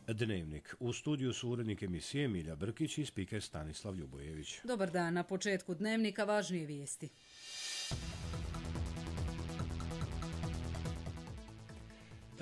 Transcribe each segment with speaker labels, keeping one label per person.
Speaker 1: Dnevnik. U studiju su urednik emisije Milja Brkić i spiker Stanislav Ljubojević.
Speaker 2: Dobar dan, na početku Dnevnika važnije vijesti.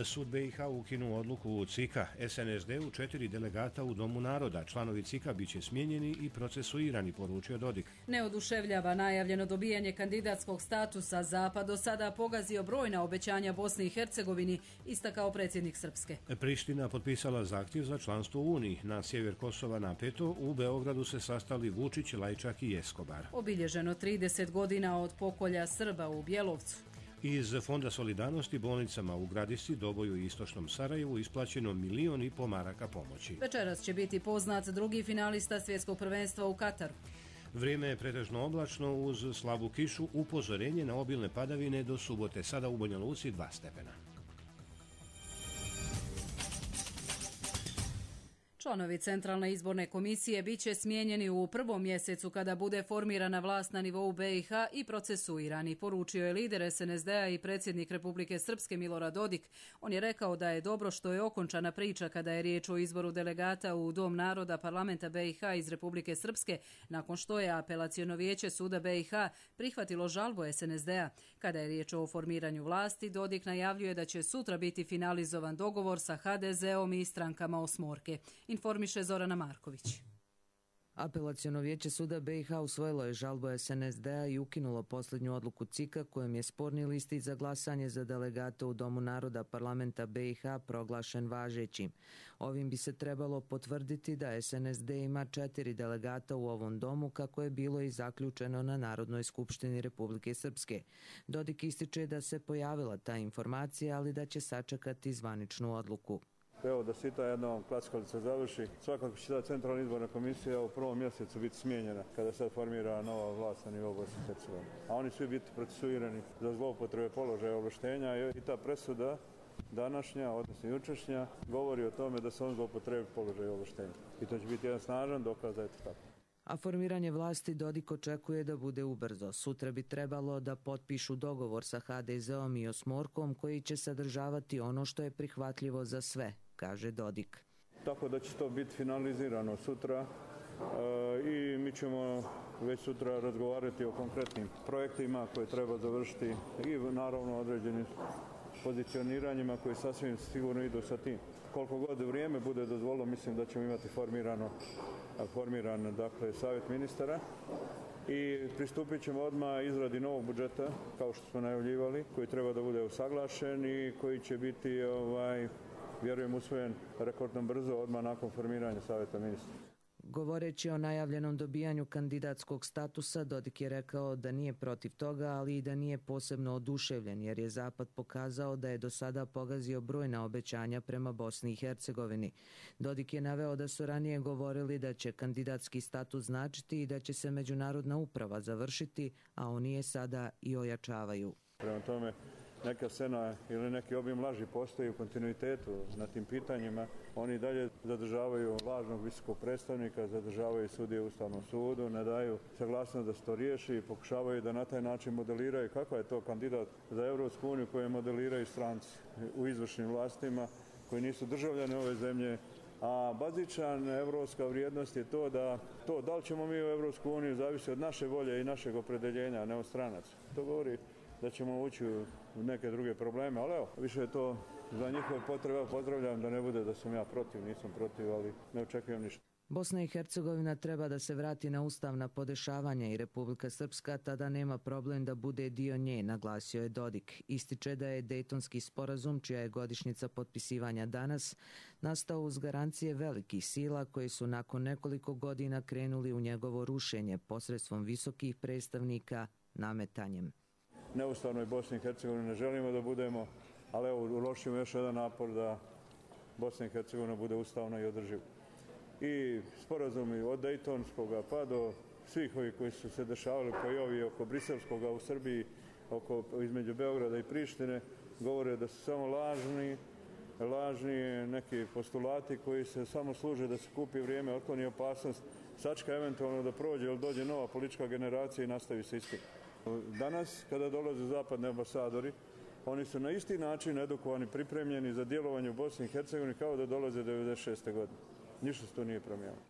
Speaker 1: Sud BiH ukinuo odluku CIK-a, SNSD-u 4 delegata u Domu naroda. Članovi CIK-a bit će smijenjeni i procesuirani, poručio Dodik.
Speaker 2: Ne oduševljava najavljeno dobijanje kandidatskog statusa. Zapad do sada pogazio brojna obećanja Bosni i Hercegovini, istakao predsjednik Srpske.
Speaker 1: Priština potpisala zahtjev za članstvo u Uniji. Na sjever Kosova napeto, u Beogradu se sastali Vučić, Lajčak i Eskobar.
Speaker 2: Obilježeno 30 godina od pokolja Srba u Bjelovcu.
Speaker 1: Iz Fonda solidarnosti bolnicama u Gradišci, Doboju i Istočnom Sarajevu isplaćeno 1,5 milijuna maraka pomoći.
Speaker 2: Večeras će biti poznat drugi finalista svjetskog prvenstva u Kataru.
Speaker 1: Vrijeme je pretežno oblačno uz slabu kišu, upozorenje na obilne padavine do subote. Sada u Banja Luci 2 stepena.
Speaker 2: Članovi Centralne izborne komisije bit će smijenjeni u prvom mjesecu kada bude formirana vlast na nivou BiH i procesuirani, poručio je lider SNSD-a i predsjednik Republike Srpske Milorad Dodik. On je rekao da je dobro što je okončana priča kada je riječ o izboru delegata u Dom naroda parlamenta BiH iz Republike Srpske, nakon što je apelaciono vijeće suda BiH prihvatilo žalbu SNSD-a. Kada je riječ o formiranju vlasti, Dodik najavljuje da će sutra biti finalizovan dogovor sa HDZ-om i strankama osmorke. Informiše Zorana Marković.
Speaker 3: Apelaciono vijeće suda BiH usvojilo je žalbu SNSD-a i ukinulo posljednju odluku CIK-a kojom je sporni listić za glasanje za delegata u Domu naroda parlamenta BiH proglašen važećim. Ovim bi se trebalo potvrditi da SNSD ima 4 delegata u ovom domu, kako je bilo i zaključeno na Narodnoj skupštini Republike Srpske. Dodik ističe da se pojavila ta informacija, ali da će sačekati zvaničnu odluku.
Speaker 4: Evo da sita jedna klackalica završi. Svakako će ta Centralna izborna komisija u prvom mjesecu biti smijenjena kada sad formira nova vlast na nivou Bosne i Hercegovine. A oni svi biti procesuirani za zloupotrebe položaja ovlaštenja i ta presuda današnja, odnosno jučerašnja, govori o tome da se on zloupotrebi položaj ovlaštenja. I to će biti jedan snažan dokaz da je to tako.
Speaker 3: A formiranje vlasti Dodik očekuje da bude ubrzo. Sutra bi trebalo da potpišu dogovor sa HDZ-om i osmorkom koji će sadržavati ono što je prihvatljivo za sve, kaže Dodik.
Speaker 4: Tako da će to biti finalizirano sutra i mi ćemo već sutra razgovarati o konkretnim projektima koje treba završiti i naravno određenim pozicioniranjima koji sasvim sigurno idu sa tim. Koliko god vrijeme bude dozvolilo, mislim da ćemo imati formiran dakle, savjet ministara i pristupit ćemo odmah izradi novog budžeta, kao što smo najavljivali, koji treba da bude usaglašen i koji će biti, vjerujem, usvojen rekordno brzo odmah nakon formiranja savjeta ministara.
Speaker 3: Govoreći o najavljenom dobijanju kandidatskog statusa, Dodik je rekao da nije protiv toga, ali i da nije posebno oduševljen, jer je Zapad pokazao da je do sada pogazio brojna obećanja prema Bosni i Hercegovini. Dodik je naveo da su ranije govorili da će kandidatski status značiti i da će se međunarodna uprava završiti, a oni je sada i ojačavaju.
Speaker 4: Prema tome, neka scena ili neki obim laži postoji u kontinuitetu na tim pitanjima. Oni dalje zadržavaju lažnog visokog predstavnika, zadržavaju sudije u Ustavnom sudu, ne daju saglasnost da se to riješi i pokušavaju da na taj način modeliraju kakav je to kandidat za Europsku uniju koje modeliraju stranci u izvršnim vlastima koji nisu državljani ove zemlje. A bazičan evropska vrijednost je to da li ćemo mi u Europsku uniju zavisi od naše volje i našeg opredeljenja, a ne od stranaca. To govori da ćemo ući u neke druge probleme, ali evo, više je to za njihove potrebe. Pozdravljam da ne bude da sam ja protiv, nisam protiv, ali ne očekujem ništa.
Speaker 3: Bosna i Hercegovina treba da se vrati na ustavna podešavanja i Republika Srpska tada nema problem da bude dio nje, naglasio je Dodik. Ističe da je Dejtonski sporazum, čija je godišnjica potpisivanja danas, nastao uz garancije velikih sila koji su nakon nekoliko godina krenuli u njegovo rušenje posredstvom visokih predstavnika nametanjem.
Speaker 4: Neustavnoj Bosni i Hercegovini ne želimo da budemo, ali evo uložimo još jedan napor da Bosna i Hercegovina bude ustavna i održiva. I sporazumi od Dejtonskoga pa do svih ovih koji su se dešavali, pa i ovi oko Briselskoga u Srbiji, između Beograda i Prištine, govore da su samo lažni neki postulati koji se samo služe da se kupi vrijeme, otkloni opasnost, sačka eventualno da prođe ili dođe nova politička generacija i nastavi se istim. Danas, kada dolaze zapadni ambasadori Oni su na isti način edukovani, pripremljeni za djelovanje u Bosni i Hercegovini kao da dolaze 96. godine. Ništa se to nije promijenilo.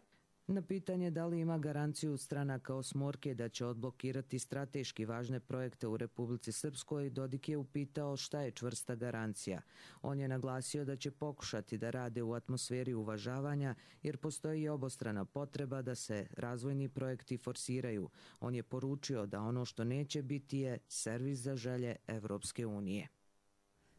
Speaker 3: Na pitanje da li ima garanciju stranaka osmorke da će odblokirati strateški važne projekte u Republici Srpskoj, Dodik je upitao šta je čvrsta garancija. On je naglasio da će pokušati da rade u atmosferi uvažavanja jer postoji obostrana potreba da se razvojni projekti forsiraju. On je poručio da ono što neće biti je servis za želje Evropske unije.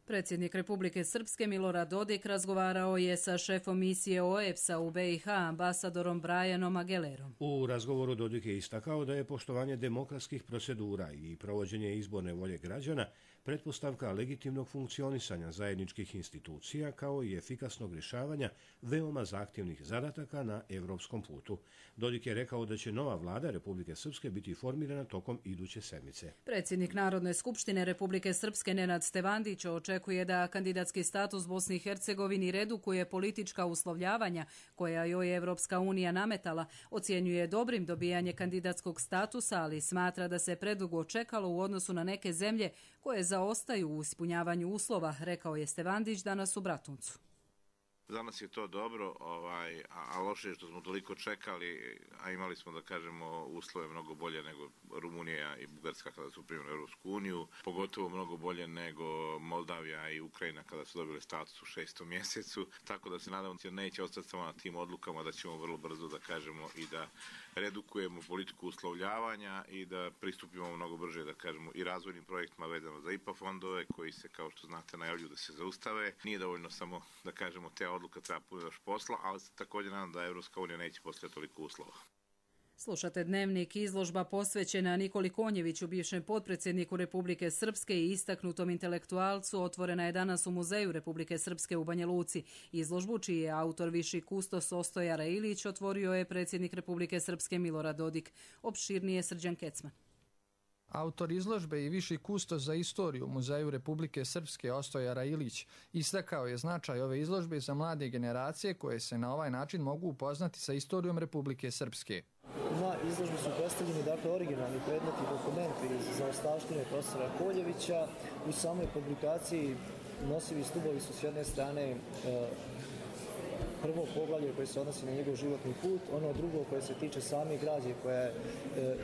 Speaker 2: Predsjednik Republike Srpske Milorad Dodik razgovarao je sa šefom misije OEBS-a u BiH, ambasadorom Brianom Agelerom.
Speaker 1: U razgovoru Dodik je istakao da je poštovanje demokratskih procedura i provođenje izborne volje građana pretpostavka legitimnog funkcionisanja zajedničkih institucija kao i efikasnog rješavanja veoma zahtjevnih zadataka na evropskom putu. Dodik je rekao da će nova vlada Republike Srpske biti formirana tokom iduće sedmice.
Speaker 2: Predsjednik Narodne skupštine Republike Srpske Nenad Stevandić očekuje da kandidatski status Bosni i Hercegovini redukuje politička uslovljavanja koja joj je Evropska unija nametala. Ocjenjuje dobrim dobijanje kandidatskog statusa, ali smatra da se predugo čekalo u odnosu na neke zemlje koje zaostaju u ispunjavanju uslova, rekao je Stevandić danas u Bratuncu.
Speaker 5: Za nas je to dobro, a loše je što smo toliko čekali, a imali smo, da kažemo, uslove mnogo bolje nego Rumunija i Bugarska kada su primili Europsku uniju, pogotovo mnogo bolje nego Moldavija i Ukrajina kada su dobili status u 6. mjesecu, tako da se nadamo da neće ostati samo na tim odlukama, da ćemo vrlo brzo, da kažemo, i da redukujemo politiku uslovljavanja i da pristupimo mnogo brže, da kažemo, i razvojnim projektima vezano za IPA fondove koji se, kao što znate, najavljuju da se zaustave. Nije dovoljno samo, da kažemo, te odluka, treba puno još posla, ali se također nadam da Evropska unija neće postaviti toliko uslova.
Speaker 2: Slušate Dnevnik, izložba posvećena Nikoli Konjeviću, bivšem potpredsjedniku Republike Srpske i istaknutom intelektualcu, otvorena je danas u Muzeju Republike Srpske u Banja Luci. Izložbu, čiji je autor viši kustos Ostoja Railić, otvorio je predsjednik Republike Srpske Milorad Dodik. Opširnije Srđan Kecman.
Speaker 6: Autor izložbe i viši kustos za istoriju Muzeju Republike Srpske Ostoja Railić istakao je značaj ove izložbe za mlade generacije koje se na ovaj način mogu upoznati sa istorijom Republike Srpske.
Speaker 7: Na izložbi su predstavljeni originalni predmeti i dokumenti iz zaostavštine profesora Koljevića. U samoj publikaciji nosivi stubovi su s jedne strane prvo poglavlje koje se odnosi na njegov životni put, ono drugo koje se tiče same građe koja je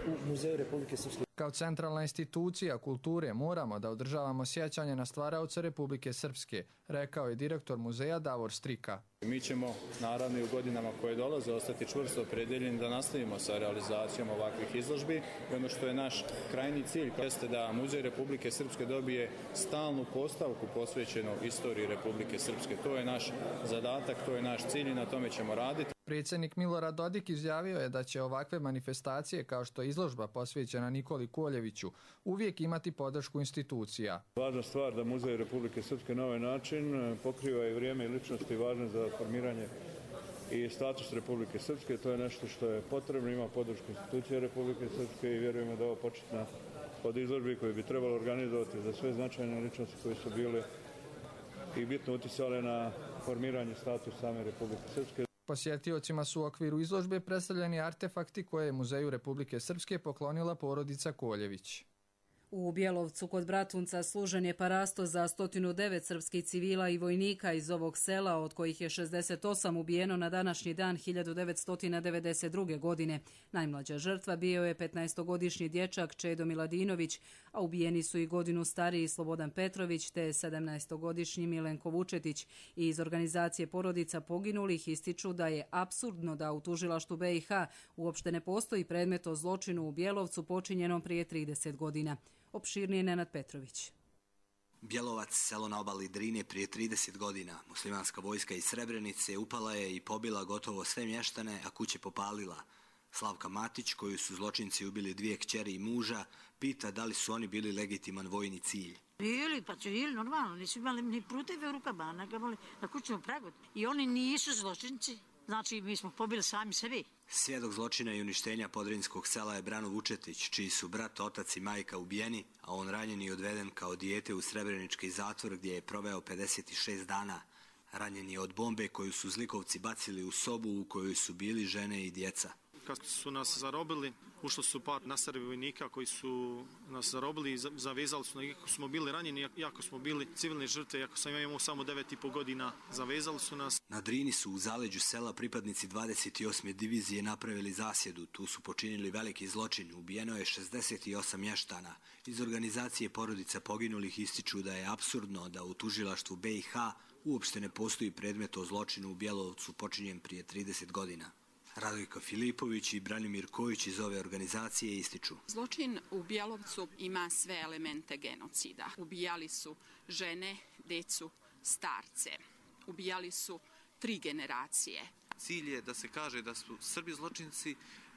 Speaker 7: u Muzeju Republike Srpske.
Speaker 6: Kao centralna institucija kulture moramo da održavamo sjećanje na stvaraoce Republike Srpske, rekao je direktor muzeja Davor Strika.
Speaker 8: Mi ćemo, naravno, i u godinama koje dolaze ostati čvrsto opredeljeni da nastavimo sa realizacijom ovakvih izložbi. I ono što je naš krajnji cilj jeste da Muzej Republike Srpske dobije stalnu postavku posvećenu istoriji Republike Srpske. To je naš zadatak, to je naš cilj i na tome ćemo raditi.
Speaker 6: Predsjednik Milorad Dodik izjavio je da će ovakve manifestacije kao što je izložba posvećena Nikoli Koljeviću uvijek imati podršku institucija.
Speaker 4: Važna stvar da Muzej Republike Srpske na ovaj način pokriva i vrijeme i ličnosti važne za formiranje i status Republike Srpske. To je nešto što je potrebno, ima podršku institucije Republike Srpske i vjerujemo da je ovo početna od izložbi koju bi trebalo organizovati za sve značajne ličnosti koje su bile i bitno uticale na formiranje statusa same Republike Srpske.
Speaker 6: Posjetiocima su u okviru izložbe predstavljeni artefakti koje je Muzeju Republike Srpske poklonila porodica Koljević.
Speaker 2: U Bjelovcu kod Bratunca služen je parasto za 109 srpskih civila i vojnika iz ovog sela, od kojih je 68 ubijeno na današnji dan 1992. godine. Najmlađa žrtva bio je 15-godišnji dječak Čedo Miladinović, a ubijeni su i godinu stariji Slobodan Petrović te 17-godišnji Milenko Vučetić. I iz organizacije porodica poginulih ističu da je apsurdno da u tužilaštvu BiH uopšte ne postoji predmet o zločinu u Bjelovcu počinjenom prije 30 godina. Opširnije Nenad Petrović.
Speaker 9: Bjelovac, selo na obali Drine, prije 30 godina. Muslimanska vojska iz Srebrenice upala je i pobila gotovo sve mještane, a kuće popalila. Slavka Matić, koju su zločinci ubili 2 kćeri i muža, pita da li su oni bili legitiman vojni cilj.
Speaker 10: Bili, pa civili, normalno, nisu imali ni pruteve u rukama, nagamali na kućnom pragu. I oni nisu zločinci. Znači, mi smo pobili sami sebi.
Speaker 9: Svjedok zločina i uništenja podrinskog sela je Brano Vučetić, čiji su brat, otac i majka ubijeni, a on ranjen i odveden kao dijete u Srebrenički zatvor gdje je proveo 56 dana. Ranjen je od bombe koju su zlikovci bacili u sobu u kojoj su bili žene i djeca.
Speaker 11: kad su nas zarobili, ušlo su par nasrbi vojnika koji su nas zarobili i zavezali su, iako smo bili ranjeni, iako smo bili civilne žrtve, iako sam imao samo 9,5 godina, zavezali su nas.
Speaker 9: Na Drini su u zaleđu sela pripadnici 28. divizije napravili zasjedu. Tu su počinili veliki zločin. Ubijeno je 68 mještana. Iz organizacije porodica poginulih ističu da je apsurdno da u tužilaštvu BiH uopšte ne postoji predmet o zločinu u Bjelovcu počinjen prije 30 godina. Radojka Filipović i Branimir Kojić iz ove organizacije ističu.
Speaker 12: Zločin u Bjelovcu ima sve elemente genocida. Ubijali su žene, decu, starce. Ubijali su 3 generacije.
Speaker 13: Cilj je da se kaže da su Srbi zločinci,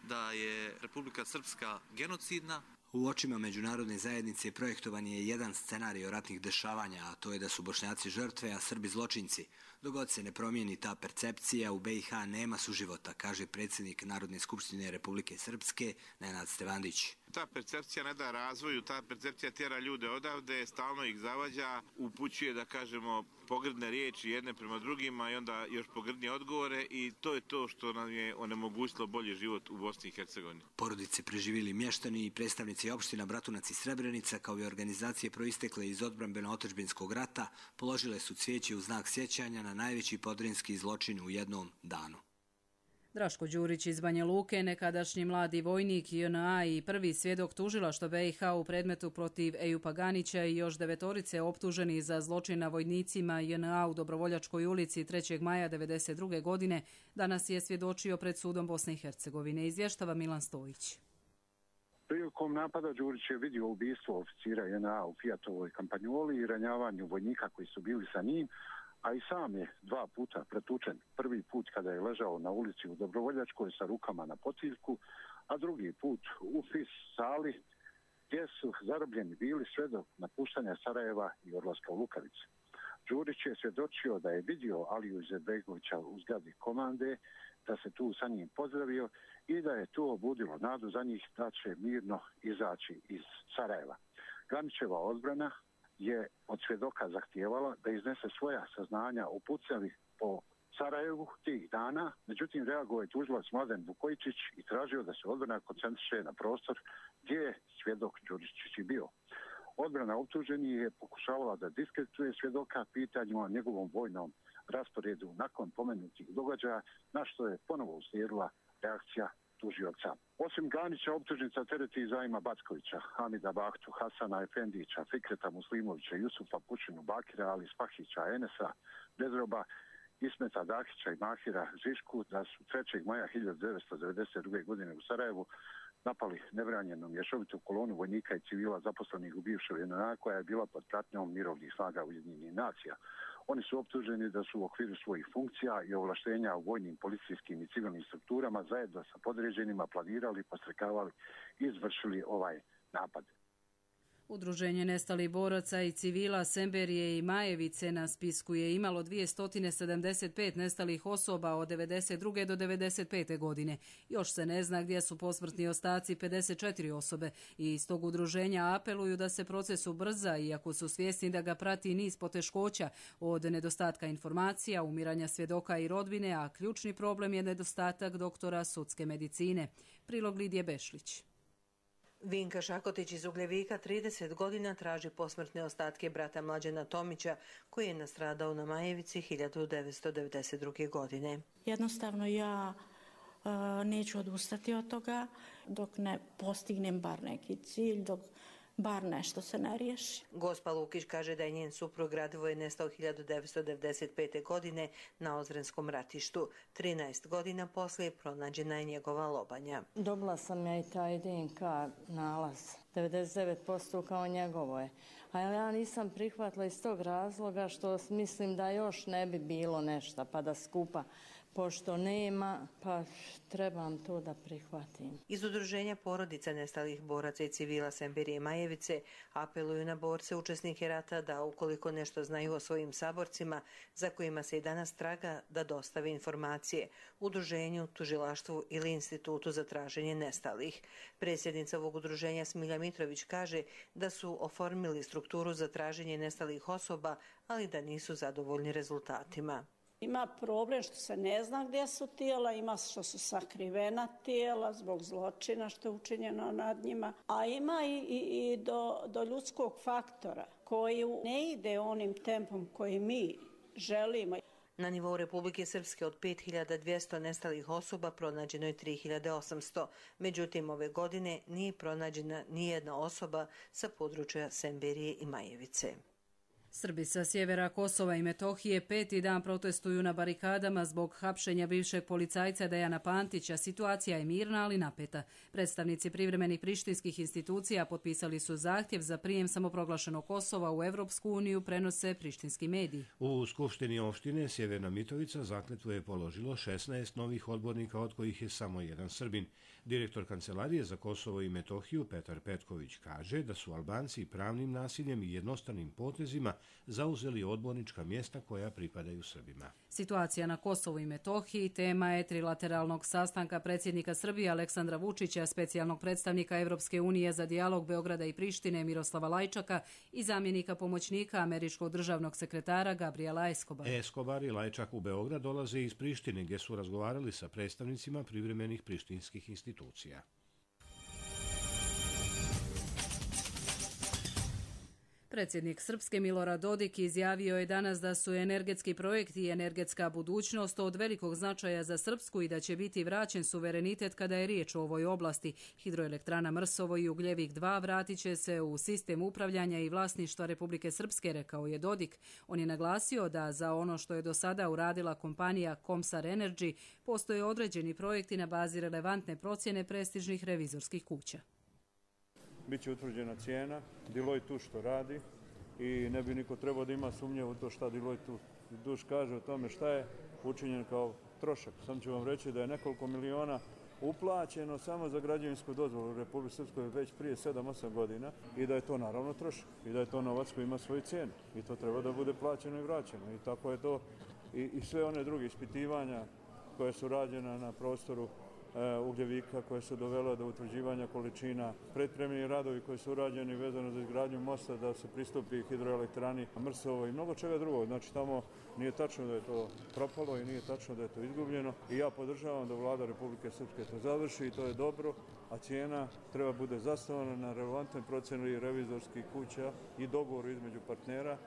Speaker 13: da je Republika Srpska genocidna.
Speaker 9: U očima međunarodne zajednice projektovan je jedan scenarij ratnih dešavanja, a to je da su Bošnjaci žrtve, a Srbi zločinci. Dok god se ne promijeni ta percepcija, u BiH nema suživota, kaže predsjednik Narodne skupštine Republike Srpske, Nenad Stevandić.
Speaker 5: Ta percepcija ne da razvoju, ta percepcija tjera ljude odavde, stalno ih zavađa, upućuje, da kažemo, pogrdne riječi jedne prema drugima i onda još pogrdnije odgovore i to je to što nam je onemogućilo bolji život u Bosni i Hercegovini.
Speaker 9: Porodice preživjeli mještani i predstavnici opština Bratunac i Srebrenica, kao i organizacije proistekle iz odbrambeno-otadžbinskog rata, položile su cvijeće u znak sjećanja na najveći podrinski zločin u jednom danu.
Speaker 2: Draško Đurić iz Banja Luke, nekadašnji mladi vojnik JNA i prvi svjedok tužilaštva BiH u predmetu protiv Ejupa Ganića i još 9 optuženi za zločin na vojnicima JNA u Dobrovoljačkoj ulici 3. maja 1992. godine, danas je svjedočio pred sudom Bosne i Hercegovine. Izvještava Milan Stojić.
Speaker 14: Prilikom napada Đurić je vidio ubistvo oficira JNA u Fijatovoj kampanjoli i ranjavanju vojnika koji su bili sa njim, a i sam je 2 puta pretučen. Prvi put kada je ležao na ulici u Dobrovoljačkoj sa rukama na potiljku, a drugi put u FIS sali gdje su zarobljeni bili sve do napuštanja Sarajeva i odlaska u Lukavice. Đurić je svjedočio da je vidio Aliju Izetbegovića u zgradi komande, da se tu sa njim pozdravio i da je to obudilo nadu za njih da će mirno izaći iz Sarajeva. Ganićeva odbrana je od svjedoka zahtijevala da iznese svoja saznanja o pucnjavi po Sarajevu tih dana, međutim reagovao je tužilac Mladen Vukojičić i tražio da se odbrana koncentriše na prostor gdje je svjedok Đuričić i bio. Odbrana optuženi je pokušavala da diskredituje svjedoka pitanjima o njegovom vojnom rasporedu nakon pomenutih događaja, na što je ponovo uslijedila reakcija tužioca. Osim Ganića, optužnica tereti Zajma Backovića, Hamida Bahtu, Hasana Efendića, Fikreta Muslimovića, Jusufa Pučinu, Bakira, Ali Spahića, Enesa, Bezroba, Ismeta Dahića i Mahira Žišku da su 3. maja 1992. godine u Sarajevu napali nebranjenu mješovitu kolonu vojnika i civila zaposlenih u bivšoj JNA koja je bila pod pratnjom mirovnih snaga Ujedinjenih nacija. Oni su optuženi da su u okviru svojih funkcija i ovlaštenja u vojnim, policijskim i civilnim strukturama zajedno sa podređenima planirali, podstrekavali i izvršili ovaj napad.
Speaker 2: Udruženje nestalih boraca i civila Semberije i Majevice na spisku je imalo 275 nestalih osoba od 1992. do 1995. godine. Još se ne zna gdje su posmrtni ostaci 54 osobe i iz tog udruženja apeluju da se proces ubrza, iako su svjesni da ga prati niz poteškoća od nedostatka informacija, umiranja svjedoka i rodbine, a ključni problem je nedostatak doktora sudske medicine. Prilog Lidije Bešlić.
Speaker 15: Vinka Šakotić iz Ugljevika 30 godina traži posmrtne ostatke brata Mlađana Tomića, koji je nastradao na Majevici 1992. godine.
Speaker 16: Jednostavno ja neću odustati od toga dok ne postignem bar neki cilj, dok bar nešto se ne riješi.
Speaker 15: Gospa Lukić kaže da je njen suprug Radivoje nestao 1995. godine na Ozrenskom ratištu. 13 godina poslije pronađena je njegova lobanja.
Speaker 16: Dobila sam ja i taj DNK nalaz. 99% kao njegovo je. A ja nisam prihvatila iz tog razloga što mislim da još ne bi bilo nešto pa da skupa. Pošto nema, pa trebam to da prihvatim.
Speaker 15: Iz udruženja porodica nestalih boraca i civila Semberije i Majevice apeluju na borce učesnike rata da ukoliko nešto znaju o svojim saborcima, za kojima se i danas traga, da dostave informacije udruženju, tužilaštvu ili institutu za traženje nestalih. Predsjednica ovog udruženja Smilja Mitrović kaže da su oformili strukturu za traženje nestalih osoba, ali da nisu zadovoljni rezultatima.
Speaker 17: Ima problem što se ne zna gdje su tijela, ima što su sakrivena tijela zbog zločina što je učinjeno nad njima, a ima i do ljudskog faktora koji ne ide onim tempom koji mi želimo.
Speaker 15: Na nivou Republike Srpske od 5200 nestalih osoba pronađeno je 3800. Međutim, ove godine nije pronađena nijedna osoba sa područja Semberije i Majevice.
Speaker 2: Srbi sa sjevera Kosova i Metohije 5. dan protestuju na barikadama zbog hapšenja bivšeg policajca Dejana Pantića. Situacija je mirna, ali napeta. Predstavnici privremenih prištinskih institucija potpisali su zahtjev za prijem samoproglašenog Kosova u Evropsku uniju, prenose prištinski mediji.
Speaker 1: U Skupštini opštine Sjeverna Mitrovica zakletvu je položilo 16 novih odbornika, od kojih je samo jedan Srbin. Direktor Kancelarije za Kosovo i Metohiju Petar Petković kaže da su Albanci pravnim nasiljem i jednostavnim potezima zauzeli odbornička mjesta koja pripadaju Srbima.
Speaker 2: Situacija na Kosovu i Metohiji tema je trilateralnog sastanka predsjednika Srbije Aleksandra Vučića, specijalnog predstavnika Evropske unije za dijalog Beograda i Prištine Miroslava Lajčaka i zamjenika pomoćnika američkog državnog sekretara Gabriela Escobara.
Speaker 1: Escobar i Lajčak u Beograd dolaze iz Prištine, gdje su razgovarali sa predstavnicima privremenih prištinskih institucija.
Speaker 2: Predsjednik Srpske Milorad Dodik izjavio je danas da su energetski projekti i energetska budućnost od velikog značaja za Srpsku i da će biti vraćen suverenitet kada je riječ o ovoj oblasti. Hidroelektrana Mrsovo i Ugljevik 2 vratit će se u sistem upravljanja i vlasništva Republike Srpske, rekao je Dodik. On je naglasio da za ono što je do sada uradila kompanija Komsar Energy postoje određeni projekti na bazi relevantne procjene prestižnih revizorskih kuća.
Speaker 4: Biće utvrđena cijena, Deloitte tu što radi i ne bi niko trebao da ima sumnje u to šta Deloitte tu kaže o tome šta je učinjen kao trošak. Sam ću vam reći da je nekoliko miliona uplaćeno samo za građevinsku dozvolu u Republike Srpskoj već prije 7-8 godina i da je to naravno trošak i da je to novac koji ima svoju cijenu i to treba da bude plaćeno i vraćeno i tako je to i sve one druge ispitivanja koje su rađena na prostoru Ugljevika koje su dovele do utvrđivanja količina, pripremljeni radovi koji su urađeni vezano za izgradnju mosta da se pristupi hidroelektrani Mrsovo i mnogo čega drugog. Znači tamo nije tačno da je to propalo i nije tačno da je to izgubljeno i ja podržavam da vlada Republike Srpske to završi i to je dobro, a cijena treba bude zasnovana na relevantnoj procjeni revizorskih kuća i dogovoru između partnera.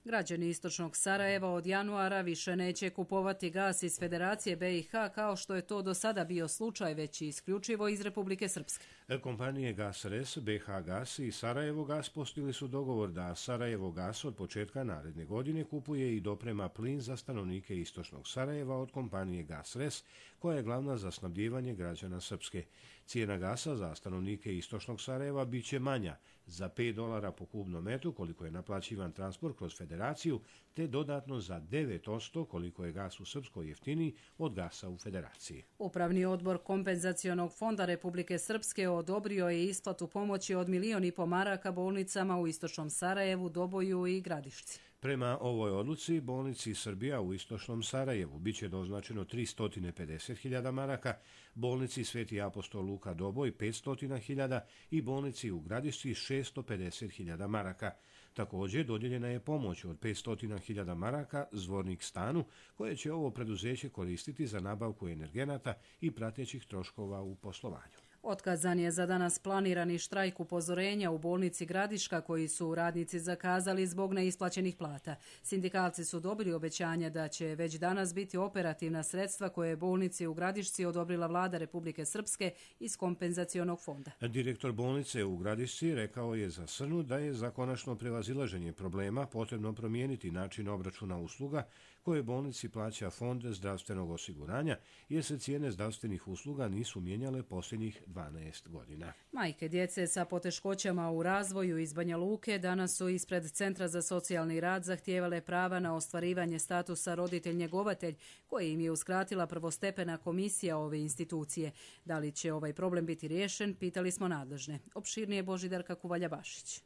Speaker 2: Građani istočnog Sarajeva od januara više neće kupovati gas iz Federacije BiH kao što je to do sada bio slučaj, već i isključivo iz Republike Srpske.
Speaker 1: Kompanije GasRes, BiH Gas i Sarajevo Gas postigli su dogovor da Sarajevo Gas od početka naredne godine kupuje i doprema plin za stanovnike istočnog Sarajeva od kompanije GasRes, koja je glavna za snabdijevanje građana Srpske. Cijena gasa za stanovnike istočnog Sarajeva bit će manja za $5 po kubnom metru koliko je naplaćivan transport kroz Federaciju, te dodatno za 9% koliko je gas u Srpskoj jeftiniji od gasa u Federaciji.
Speaker 2: Upravni odbor Kompenzacionog fonda Republike Srpske odobrio je isplatu pomoći od 1,5 miliona maraka bolnicama u istočnom Sarajevu, Doboju i Gradišci.
Speaker 1: Prema ovoj odluci, bolnici Srbija u istočnom Sarajevu biće doznačeno 350.000 maraka, bolnici Sveti apostol Luka Doboj 500.000 i bolnici u Gradišci 650.000 maraka. Također dodijeljena je pomoć od 500.000 maraka Zvornik stanu, koje će ovo preduzeće koristiti za nabavku energenata i pratećih troškova u poslovanju.
Speaker 2: Otkazan je za danas planirani štrajk upozorenja u bolnici Gradiška koji su radnici zakazali zbog neisplaćenih plata. Sindikalci su dobili obećanje da će već danas biti operativna sredstva koje je bolnici u Gradišci odobrila vlada Republike Srpske iz Kompenzacionog fonda.
Speaker 1: Direktor bolnice u Gradišci rekao je za Srnu da je za konačno prevazilaženje problema potrebno promijeniti način obračuna usluga koje bolnici plaća Fond zdravstvenog osiguranja, jer se cijene zdravstvenih usluga nisu mijenjale posljednjih 12 godina.
Speaker 2: Majke djece sa poteškoćama u razvoju iz Banja Luke danas su ispred Centra za socijalni rad zahtijevale prava na ostvarivanje statusa roditelj-njegovatelj, koje im je uskratila prvostepena komisija ove institucije. Da li će ovaj problem biti riješen, pitali smo nadležne. Opširnije Božidarka Kuvalja-Bašić.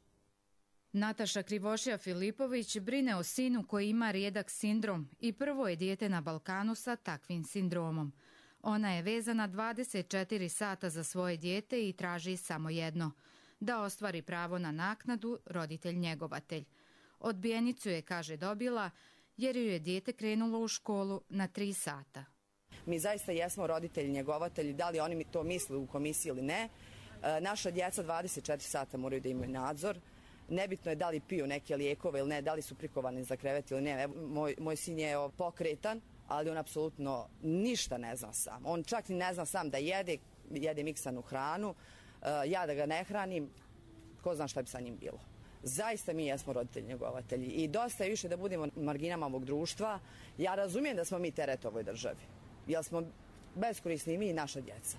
Speaker 18: Nataša Krivošija-Filipović brine o sinu koji ima rijedak sindrom i prvo je dijete na Balkanu sa takvim sindromom. Ona je vezana 24 sata za svoje dijete i traži samo jedno, da ostvari pravo na naknadu roditelj-njegovatelj. Odbijenicu je, kaže, dobila jer joj je dijete krenulo u školu na 3 sata.
Speaker 19: Mi zaista jesmo roditelji, njegovatelji, da li oni to misle u komisiji ili ne. Naša djeca 24 sata moraju da imaju nadzor. Nebitno je da li piju neke lijekove ili ne, da li su prikovani za krevet ili ne. Moj sin je pokretan, ali on apsolutno ništa ne zna sam. On čak ni ne zna sam da jede miksanu hranu. Ja da ga ne hranim, ko zna šta bi sa njim bilo. Zaista mi jesmo roditelji njegovatelji i dosta je više da budemo marginama ovog društva. Ja razumijem da smo mi teret ovoj državi, jer smo beskorisni i mi i naša djeca.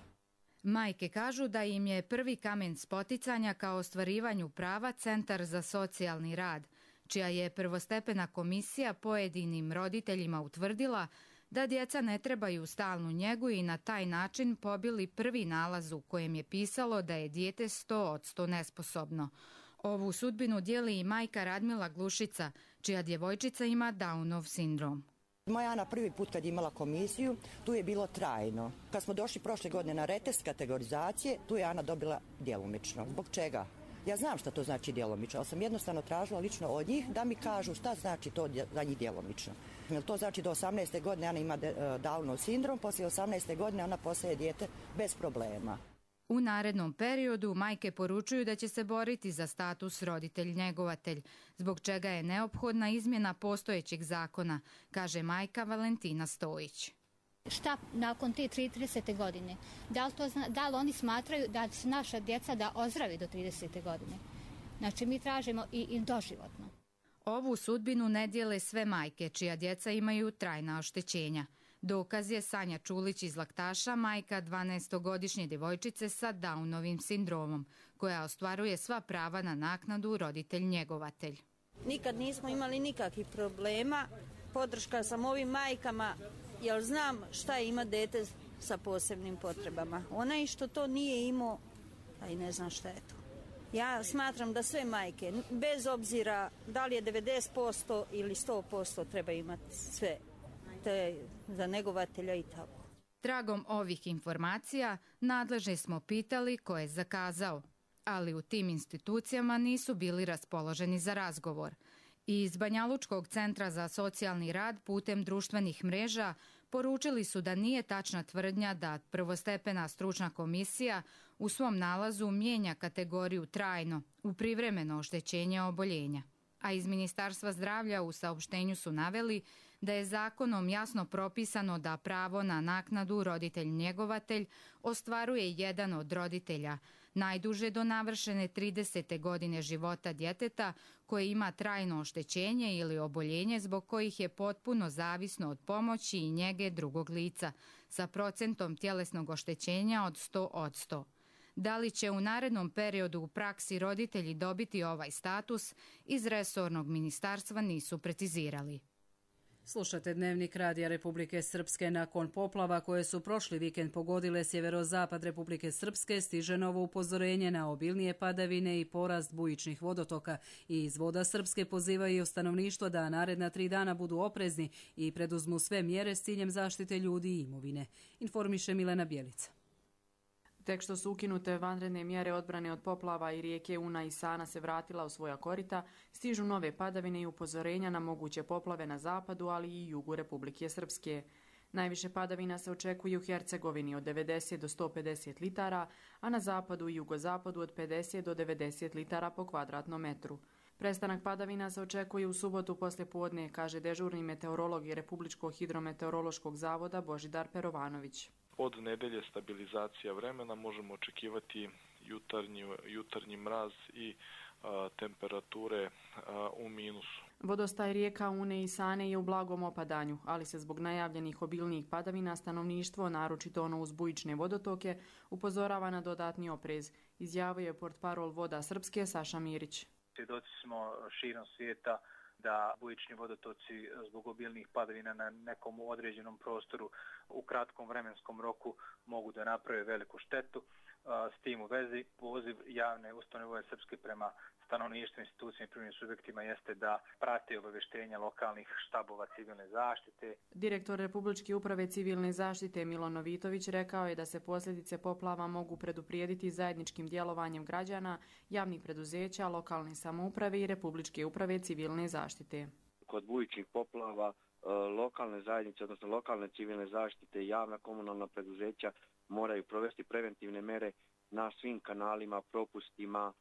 Speaker 18: Majke kažu da im je prvi kamen spoticanja ka ostvarivanju prava Centar za socijalni rad, čija je prvostepena komisija pojedinim roditeljima utvrdila da djeca ne trebaju stalnu njegu i na taj način pobili prvi nalaz u kojem je pisalo da je dijete 100% nesposobno. Ovu sudbinu dijeli i majka Radmila Glušica, čija djevojčica ima Downov sindrom.
Speaker 20: Moja Ana prvi put kad je imala komisiju, tu je bilo trajno. Kad smo došli prošle godine na retest kategorizacije, tu je Ana dobila djelomično. Zbog čega? Ja znam šta to znači djelomično, ali sam jednostavno tražila lično od njih da mi kažu šta znači to za njih djelomično. Jer to znači do 18. godine Ana ima Downov sindrom, poslije 18. godine ona postaje dijete bez problema.
Speaker 18: U narednom periodu majke poručuju da će se boriti za status roditelj-njegovatelj, zbog čega je neophodna izmjena postojećeg zakona, kaže majka Valentina Stojić.
Speaker 21: Šta nakon te 30. godine? Da li oni smatraju da su naša djeca da ozdravi do 30. godine? Znači mi tražimo i doživotno.
Speaker 18: Ovu sudbinu ne dijele sve majke čija djeca imaju trajna oštećenja. Dokaz je Sanja Čulić iz Laktaša, majka 12-godišnje djevojčice sa Downovim sindromom, koja ostvaruje sva prava na naknadu roditelj-njegovatelj.
Speaker 22: Nikad nismo imali nikakvih problema. Podrška sam ovim majkama, jer znam šta je ima dete sa posebnim potrebama. Onaj što to nije imao, a i ne znam šta je to. Ja smatram da sve majke, bez obzira da li je 90% ili 100%, treba imati sve. Za njegovatelja i tako.
Speaker 18: Tragom ovih informacija nadležne smo pitali ko je zakazao, ali u tim institucijama nisu bili raspoloženi za razgovor. I iz Banjalučkog centra za socijalni rad putem društvenih mreža poručili su da nije tačna tvrdnja da prvostepena stručna komisija u svom nalazu mijenja kategoriju trajno u privremeno oštećenje oboljenja. A iz Ministarstva zdravlja u saopštenju su naveli da je zakonom jasno propisano da pravo na naknadu roditelj-njegovatelj ostvaruje jedan od roditelja, najduže do navršene 30. godine života djeteta koje ima trajno oštećenje ili oboljenje zbog kojih je potpuno zavisno od pomoći i njege drugog lica, sa procentom tjelesnog oštećenja od 100%. Da li će u narednom periodu u praksi roditelji dobiti ovaj status, iz resornog ministarstva nisu precizirali.
Speaker 2: Slušate Dnevnik Radija Republike Srpske. Nakon poplava koje su prošli vikend pogodile sjeverozapad Republike Srpske, stiže novo upozorenje na obilnije padavine i porast bujičnih vodotoka. I iz Voda Srpske pozivaju stanovništvo da naredna 3 dana budu oprezni i preduzmu sve mjere s ciljem zaštite ljudi i imovine. Informiše Milena Bjelica.
Speaker 23: Tek što su ukinute vanredne mjere odbrane od poplava i rijeke Una i Sana se vratila u svoja korita, stižu nove padavine i upozorenja na moguće poplave na zapadu, ali i jugu Republike Srpske. Najviše padavina se očekuje u Hercegovini od 90 do 150 litara, a na zapadu i jugozapadu od 50 do 90 litara po kvadratnom metru. Prestanak padavina se očekuje u subotu poslijepodne, kaže dežurni meteorolog i Republičkog hidrometeorološkog zavoda Božidar Perovanović.
Speaker 24: Od nedelje stabilizacija vremena, možemo očekivati jutarnji mraz i temperature u minusu.
Speaker 23: Vodostaj rijeka Une i Sane je u blagom opadanju, ali se zbog najavljenih obilnijih padavina stanovništvo, naročito ono uz bujične vodotoke, upozorava na dodatni oprez, izjavio je portparol Voda Srpske Saša Mirić.
Speaker 25: Svjedoci smo širom svijeta da bujični vodotoci zbog obilnih padavina na nekom određenom prostoru u kratkom vremenskom roku mogu da naprave veliku štetu. S tim u vezi poziv javne ustanove Voda Srpske prema stanovništvu, institucijama i privrednim subjektima jeste da prate obavještenja lokalnih štabova civilne zaštite.
Speaker 23: Direktor Republičke uprave civilne zaštite Milo Novitović rekao je da se posljedice poplava mogu preduprijediti zajedničkim djelovanjem građana, javnih preduzeća, lokalne samouprave i Republičke uprave civilne zaštite.
Speaker 3: kod bujičnih poplava lokalne zajednice, odnosno lokalne civilne zaštite i javna komunalna preduzeća moraju provesti preventivne mere na svim kanalima, propustima,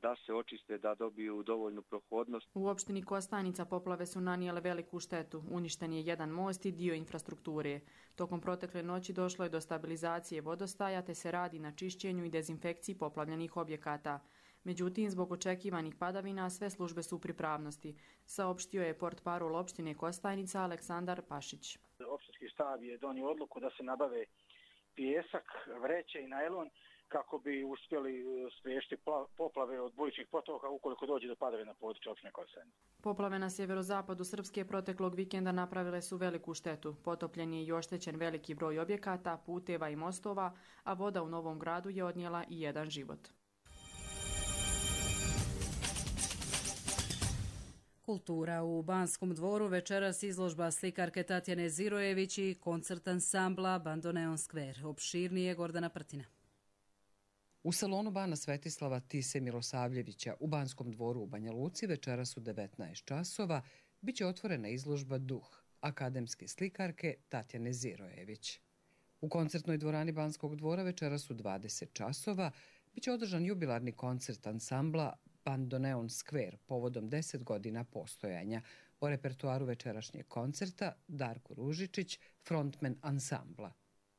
Speaker 3: da se očiste, da dobiju dovoljnu prohodnost.
Speaker 23: U opštini Kostajnica poplave su nanijele veliku štetu. Uništen je jedan most i dio infrastrukture. Tokom protekle noći došlo je do stabilizacije vodostaja te se radi na čišćenju i dezinfekciji poplavljenih objekata. Međutim, zbog očekivanih padavina sve službe su u pripravnosti, saopštio je portparol opštine Kostajnica Aleksandar Pašić.
Speaker 6: Opštinski štab je donio odluku da se nabave pijesak, vreće i najlon kako bi uspjeli spriječiti poplave od bujičnih potoka ukoliko dođe do padavina na području opštine Kostajnica.
Speaker 23: Poplave na sjeverozapadu Srpske proteklog vikenda napravile su veliku štetu. Potopljen je i oštećen veliki broj objekata, puteva i mostova, a voda u Novom Gradu je odnijela i jedan život.
Speaker 2: Kultura u Banskom dvoru večeras izložba slikarke Tatjane Zirojević i koncert ansambla Bandoneon Square. Opširnije Gordana Prtina.
Speaker 7: U salonu Bana Svetislava Tise Milosavljevića u Banskom dvoru u Banja Luci večeras u 19 časova biće otvorena izložba Duh akademske slikarke Tatjane Zirojević. U koncertnoj dvorani Banskog dvora večeras u 20 časova biće održan jubilarni koncert ansambla Bandoneon Square povodom 10 godina postojanja. O repertuaru večerašnjeg koncerta Darko Ružičić, frontmen ansambla.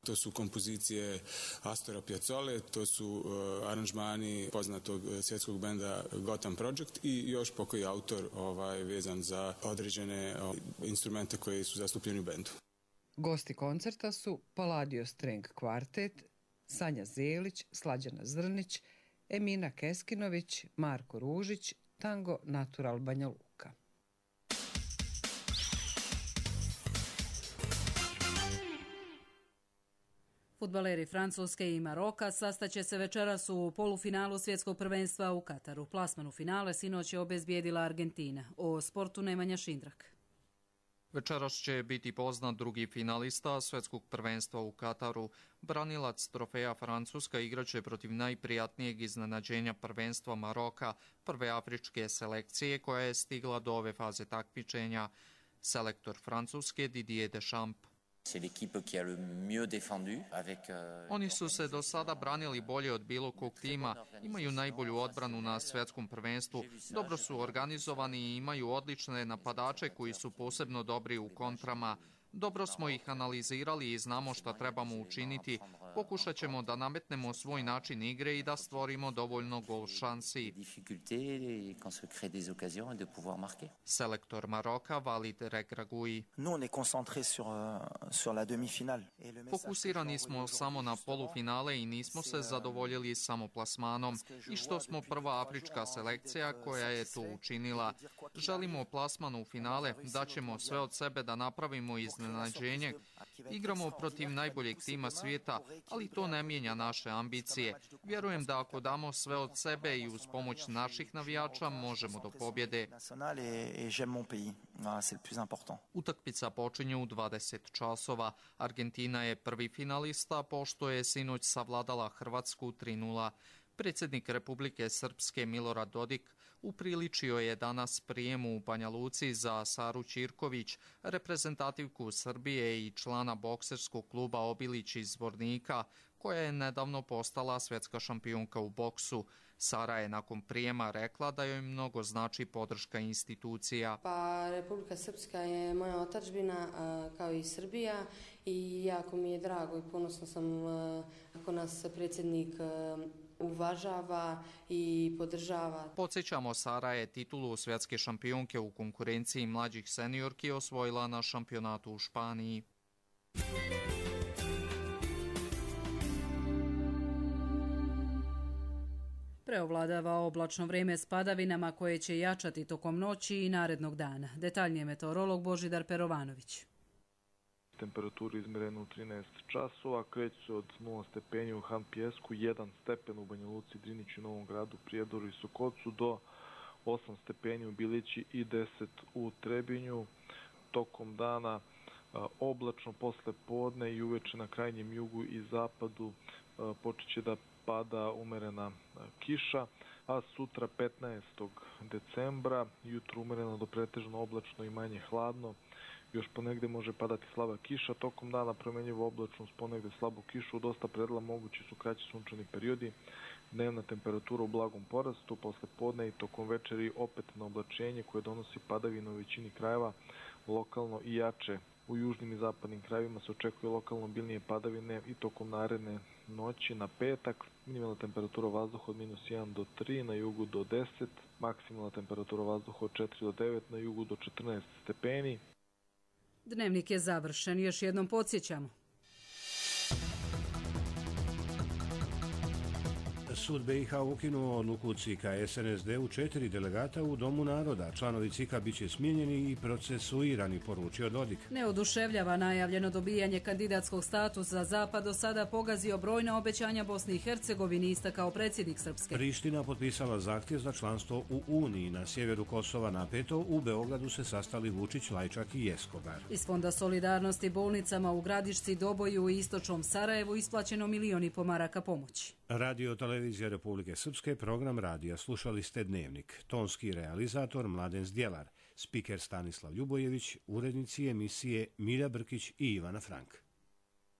Speaker 8: To su kompozicije Astora Piazzole, to su aranžmani poznatog svjetskog benda Gotham Project i još pokoji autor vezan za određene instrumente koji su zastupljeni u bendu.
Speaker 7: Gosti koncerta su Palladio String Quartet, Sanja Zelić, Slađana Zrnić, Emina Keskinović, Marko Ružić, Tango Natural Banja Luka.
Speaker 2: Fudbaleri Francuske i Maroka sastaće se večeras u polufinalu svjetskog prvenstva u Kataru. Plasman u finale sinoć je obezbijedila Argentina. O sportu Nemanja Šindrak.
Speaker 10: Večeras će biti poznat drugi finalista svjetskog prvenstva u Kataru. Branilac trofeja Francuska igraće protiv najprijatnijeg iznenađenja prvenstva Maroka, prve afričke selekcije koja je stigla do ove faze takmičenja. Selektor Francuske Didier Deschamps. Oni su se do sada branili bolje od bilo kog tima, imaju najbolju odbranu na svjetskom prvenstvu, dobro su organizovani i imaju odlične napadače koji su posebno dobri u kontrama. Dobro smo ih analizirali i znamo šta trebamo učiniti. Pokušat ćemo da nametnemo svoj način igre i da stvorimo dovoljno gol šansi. Selektor Maroka Walid Regragui. Fokusirani smo samo na polufinale i nismo se zadovoljili samo plasmanom. I što smo prva afrička selekcija koja je to učinila. Želimo plasman u finale, daćemo sve od sebe da napravimo iznenađenje. Igramo protiv najboljeg tima svijeta, ali to ne mijenja naše ambicije. Vjerujem da ako damo sve od sebe i uz pomoć naših navijača možemo do pobjede. Utakmica počinje u 20 časova. Argentina je prvi finalista pošto je sinoć savladala Hrvatsku 3:0. Predsjednik Republike Srpske Milorad Dodik upriličio je danas prijemu u Banja Luci za Saru Ćirković, reprezentativku Srbije i člana bokserskog kluba Obilić iz Zvornika, koja je nedavno postala svjetska šampionka u boksu. Sara je nakon prijema rekla da joj mnogo znači podrška institucija.
Speaker 26: Pa Republika Srpska je moja otadžbina kao i Srbija i jako mi je drago i ponosno sam ako nas predsjednik uvažava i podržava.
Speaker 10: Podsjećamo, Sara je titulu svjetske šampionke u konkurenciji mlađih seniorki osvojila na šampionatu u Španiji.
Speaker 2: Preovladava oblačno vrijeme s padavinama koje će jačati tokom noći i narednog dana. Detaljnije meteorolog Božidar Perovanović.
Speaker 24: Temperaturu izmerenu u 13 časova, kreću se od 0 stepeni u Han Pijesku, 1 stepen u Banja Luci, Driniću, Novom Gradu, Prijedoru i Sokocu, do 8 stepeni u Bilići i 10 u Trebinju. Tokom dana oblačno posle podne i uveče na krajnjem jugu i zapadu počet će da pada umerena kiša, a sutra 15. decembra jutro umereno do pretežno oblačno i manje hladno. Još ponegde može padati slaba kiša, tokom dana promenjivo oblačnost, ponegde slabu kišu, u dosta predela mogući su kraći sunčani periodi, dnevna temperatura u blagom porastu, posle podne i tokom večeri opet na oblačenje koje donosi padavine u većini krajeva, lokalno i jače. U južnim i zapadnim krajevima se očekuje lokalno obilnije padavine i tokom naredne noći na petak. Minimalna temperatura vazduha od -1 do 3, na jugu do 10, maksimalna temperatura vazduha od 4 do 9, na jugu do 14 stepeni.
Speaker 2: Dnevnik je završen. Još jednom podsjećamo.
Speaker 1: Sud BiH ukinuo odluku CIK-a SNSD u 4 delegata u Domu naroda. Članovi CIK-a biće smijenjeni i procesuirani, poručio Dodik.
Speaker 2: Ne oduševljava najavljeno dobijanje kandidatskog statusa za Zapad, do sada pogazio brojna obećanja Bosni i Hercegovini, istakao predsjednik Srpske.
Speaker 1: Priština potpisala zahtjev za članstvo u Uniji. Na sjeveru Kosova napeto, u Beogradu se sastali Vučić, Lajčak i Escobar.
Speaker 2: Iz Fonda solidarnosti bolnicama u Gradišci, Doboju i istočnom Sarajevu isplaćeno 1,5 miliona maraka pomoći.
Speaker 1: Radio Televizija Republike Srpske, program radija. Slušali ste Dnevnik. Tonski realizator Mladen Zdjelar, spiker Stanislav Ljubojević, urednici emisije Milja Brkić i Ivana Frank.